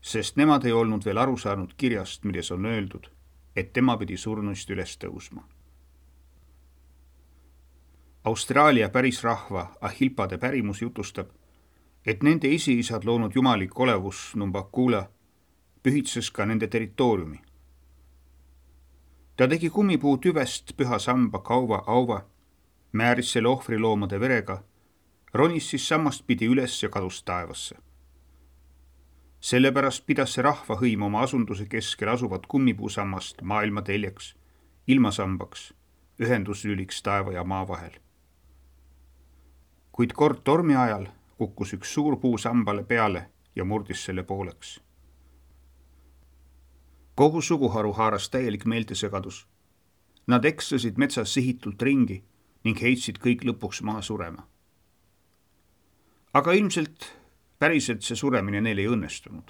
sest nemad ei olnud veel aru saanud kirjast, milles on öeldud, et tema pidi surnuist üles tõusma. Austraalia pärisrahva Ahilpade pärimus jutustab, et nende esiisad loonud jumalik olevus Numbakula pühitses ka nende territooriumi. Ta tegi kummipuu tüvest püha samba kauva auva, määris selle ohvriloomade verega, ronis siis sammast pidi üles ja kadus taevasse. Sellepärast pidas see rahvahõim oma asunduse keskel asuvat kummipuusammast maailma teljeks, ilmasambaks, ühenduslüliks taeva ja maa vahel. Kuid kord tormi ajal kukkus üks suur puu sambale peale ja murdis selle pooleks. Kogu suguharu haaras täielik meeltesegadus. Nad eksasid metsas sihitult ringi ning heitsid kõik lõpuks maha surema. Aga ilmselt päriselt see suremine neil ei õnnestunud.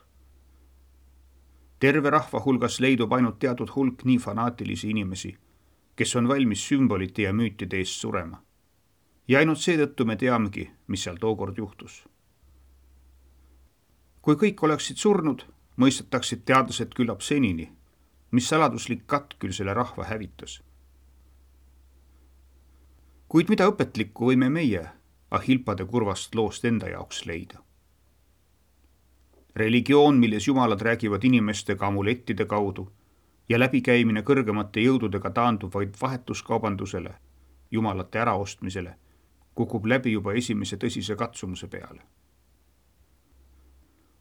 Terve rahva hulgas leidub ainult teatud hulk nii fanaatilisi inimesi, kes on valmis sümbolite ja müütide eest surema. Ja ainult seetõttu me teamegi, mis seal tookord juhtus. Kui kõik oleksid surnud, mõistetaksid teadlased küllap senini, mis saladuslik katk küll selle rahva hävitas. Kuid mida õpetlikku võime meie Ahilpade kurvast loost enda jaoks leida? Religioon, milles jumalad räägivad inimestega amulettide kaudu ja läbikäimine kõrgemate jõududega taandub vaid vahetuskaubandusele, jumalate äraostmisele, kukub läbi juba esimese tõsise katsumuse peale.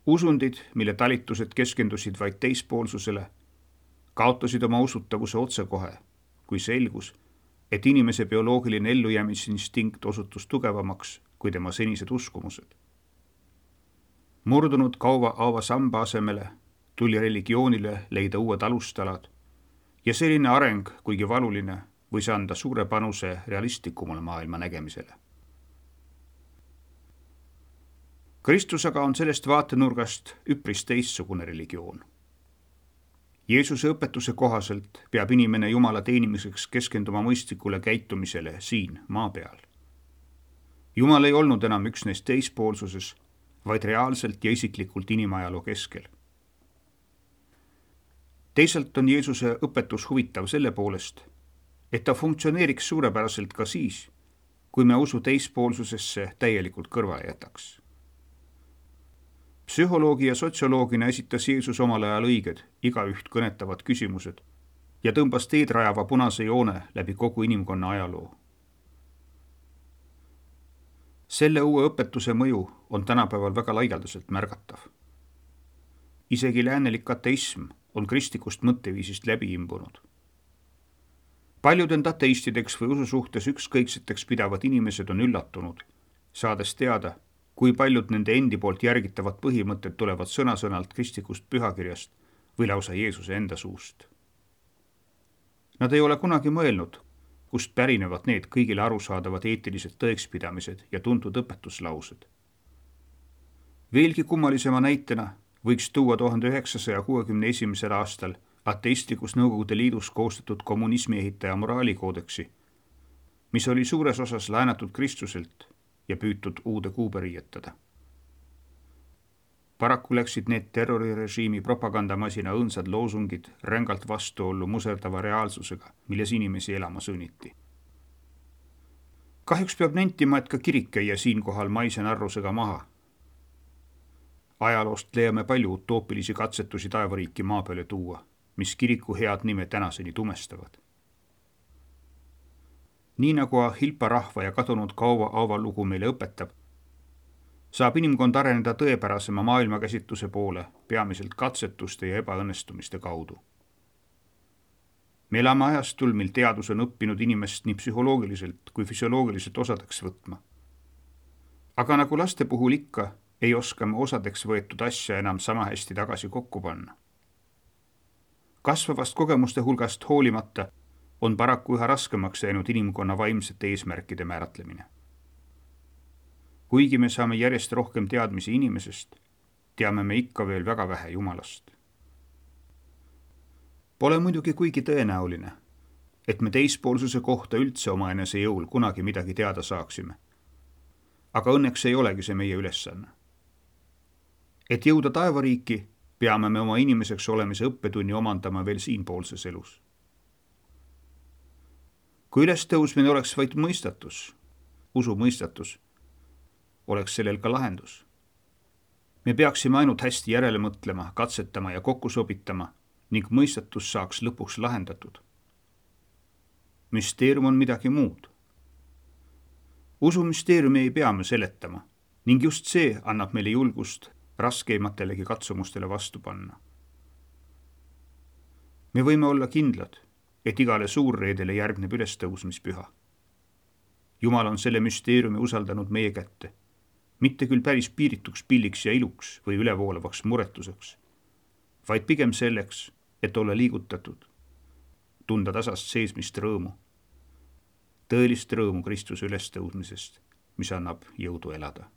Usundid, mille talitused keskendusid vaid teispoolsusele, kaotasid oma usutavuse otsekohe, kui selgus, et inimese bioloogiline ellujäämisinstinkt osutus tugevamaks kui tema senised uskumused. Murdunud kauva aava samba asemele tuli religioonile leida uued alustalad ja selline areng, kuigi valuline, võis anda suure panuse realistlikumale maailma nägemisele. Kristus aga on sellest vaatenurgast üpris teistsugune religioon. Jeesuse õpetuse kohaselt peab inimene Jumala teenimiseks keskenduma mõistlikule käitumisele siin maa peal. Jumal ei olnud enam üksnes teispoolsuses, vaid reaalselt ja isiklikult inimajaloo keskel. Teisalt on Jeesuse õpetus huvitav selle poolest, et ta funktsioneeriks suurepäraselt ka siis, kui me usu teispoolsusesse täielikult kõrvale jätaks. Psühholoogi ja sotsioloogina esitas Jeesus omal ajal õiged, igaüht kõnetavad küsimused ja tõmbas teed rajava punase joone läbi kogu inimkonna ajaloo. Selle uue õpetuse mõju on tänapäeval väga laialdaselt märgatav. Isegi läänelik ateism on kristlikust mõtteviisist läbi imbunud. Paljud end ateistideks või ususuhtes ükskõikseteks pidavad inimesed on üllatunud, saades teada, kui paljud nende endi poolt järgitavad põhimõtted tulevad sõna-sõnalt kristlikust pühakirjast või lausa Jeesuse enda suust. Nad ei ole kunagi mõelnud, kust pärinevad need kõigile arusaadavad eetilised tõekspidamised ja tuntud õpetuslaused. Veelgi kummalisema näitena võiks tuua 1961. aastal ateistlikus Nõukogude Liidus koostatud kommunismi ehitaja moraalikoodeksi, mis oli suures osas laenatud Kristuselt ja püütud uude kuube riietada. Paraku läksid need terrorirežiimi propagandamasina õõnsad loosungid rängalt vastuollu muserdava reaalsusega, milles inimesi elama sunniti. Kahjuks peab nentima, et ka kirik jäi siinkohal maise narrusega maha. Ajaloost leiame palju utoopilisi katsetusi taevariiki maa peale tuua, mis kiriku head nime tänaseni tumestavad. Nii nagu Ahilpa rahva ja kadunud kauva aava lugu meile õpetab, saab inimkond areneda tõepärasema maailmakäsitluse poole peamiselt katsetuste ja ebaõnnestumiste kaudu. Me elame ajastul, mil teadus on õppinud inimest nii psühholoogiliselt kui füsioloogiliselt osadeks võtma. Aga nagu laste puhul ikka, ei oska me osadeks võetud asja enam sama hästi tagasi kokku panna. Kasvavast kogemuste hulgast hoolimata on paraku üha raskemaks jäänud inimkonna vaimsete eesmärkide määratlemine. Kuigi me saame järjest rohkem teadmisi inimesest, teame me ikka veel väga vähe Jumalast. Pole muidugi kuigi tõenäoline, et me teispoolsuse kohta üldse omaenese jõul kunagi midagi teada saaksime. Aga õnneks ei olegi see meie ülesanne. Et jõuda taevariiki, peame me oma inimeseks olemise õppetunni omandama veel siinpoolses elus. Kui ülestõusmine oleks vaid mõistatus, usu mõistatus, oleks sellel ka lahendus. Me peaksime ainult hästi järele mõtlema, katsetama ja kokku sobitama ning mõistatus saaks lõpuks lahendatud. Müsteerium on midagi muud. Usumüsteeriumi ei pea me seletama ning just see annab meile julgust raskeimatele katsumustele vastu panna. Me võime olla kindlad, et igale suurreedele järgneb ülestõusmispüha. Jumal on selle müsteeriumi usaldanud meie kätte, mitte küll päris piirituks pilliks ja iluks või ülevoolavaks muretuseks, vaid pigem selleks, et olla liigutatud, tunda tasast seesmist rõõmu, tõelist rõõmu Kristuse ülestõusmisest, mis annab jõudu elada.